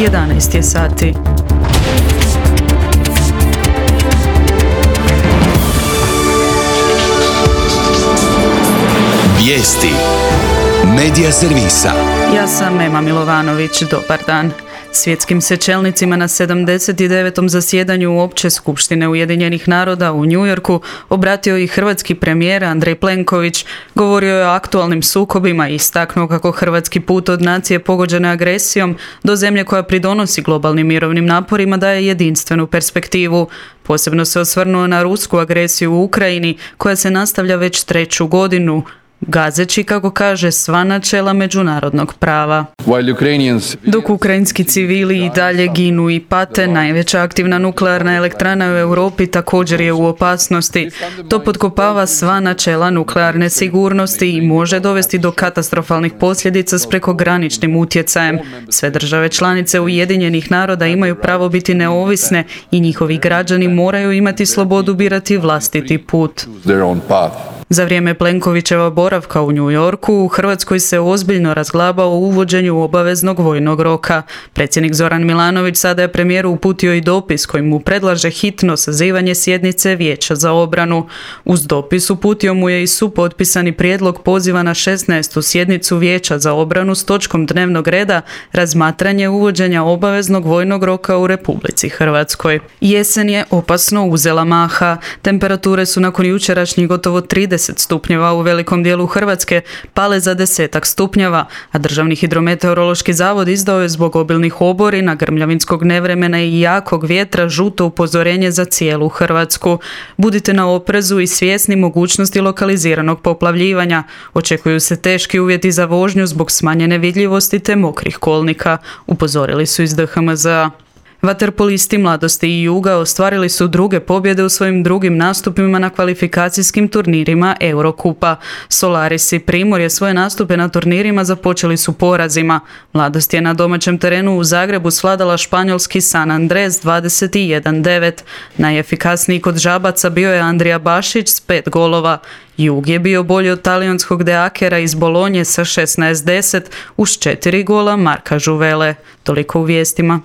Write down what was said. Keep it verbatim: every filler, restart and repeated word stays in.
jedanaest je sati. Vijesti Medija servisa. Ja sam Ema Milovanović, dobar dan. Svjetskim se čelnicima na sedamdeset devetom zasjedanju Opće skupštine Ujedinjenih naroda u New Yorku obratio i hrvatski premijer Andrej Plenković. Govorio je o aktualnim sukobima i istaknuo kako hrvatski put od nacije pogođene agresijom do zemlje koja pridonosi globalnim mirovnim naporima daje jedinstvenu perspektivu. Posebno se osvrnuo na rusku agresiju u Ukrajini koja se nastavlja već treću godinu, gazeći, kako kaže, sva načela međunarodnog prava. Dok ukrajinski civili i dalje ginu i pate, najveća aktivna nuklearna elektrana u Europi također je u opasnosti. To potkopava sva načela nuklearne sigurnosti i može dovesti do katastrofalnih posljedica s prekograničnim utjecajem. Sve države članice Ujedinjenih naroda imaju pravo biti neovisne i njihovi građani moraju imati slobodu birati vlastiti put. Za vrijeme Plenkovićeva boravka u New Yorku, u Hrvatskoj se ozbiljno razglaba o uvođenju obaveznog vojnog roka. Predsjednik Zoran Milanović sada je premijeru uputio i dopis kojim mu predlaže hitno sazivanje sjednice Vijeća za obranu. Uz dopis uputio mu je i supotpisani prijedlog poziva na šesnaestu sjednicu Vijeća za obranu s točkom dnevnog reda razmatranje uvođenja obaveznog vojnog roka u Republici Hrvatskoj. Jesen je opasno uzela maha. Temperature su nakon jučerašnjih gotovo trideset stupnjeva u velikom dijelu Hrvatske pale za desetak stupnjeva, a Državni hidrometeorološki zavod izdao je zbog obilnih oborina, grmljavinskog nevremena i jakog vjetra žuto upozorenje za cijelu Hrvatsku. Budite na oprezu i svjesni mogućnosti lokaliziranog poplavljivanja. Očekuju se teški uvjeti za vožnju zbog smanjene vidljivosti te mokrih kolnika, upozorili su iz D H M Z A. Vaterpolisti Mladosti i Juga ostvarili su druge pobjede u svojim drugim nastupima na kvalifikacijskim turnirima Eurokupa. Solaris i Primorje svoje nastupe na turnirima započeli su porazima. Mladost je na domaćem terenu u Zagrebu svladala španjolski San Andres dvadeset jedan devet. Najefikasniji kod žabaca bio je Andrija Bašić s pet golova. Jug je bio bolji od talijanskog Deakera iz Bolonje sa šesnaest deset uz četiri gola Marka Žuvele. Toliko u vijestima.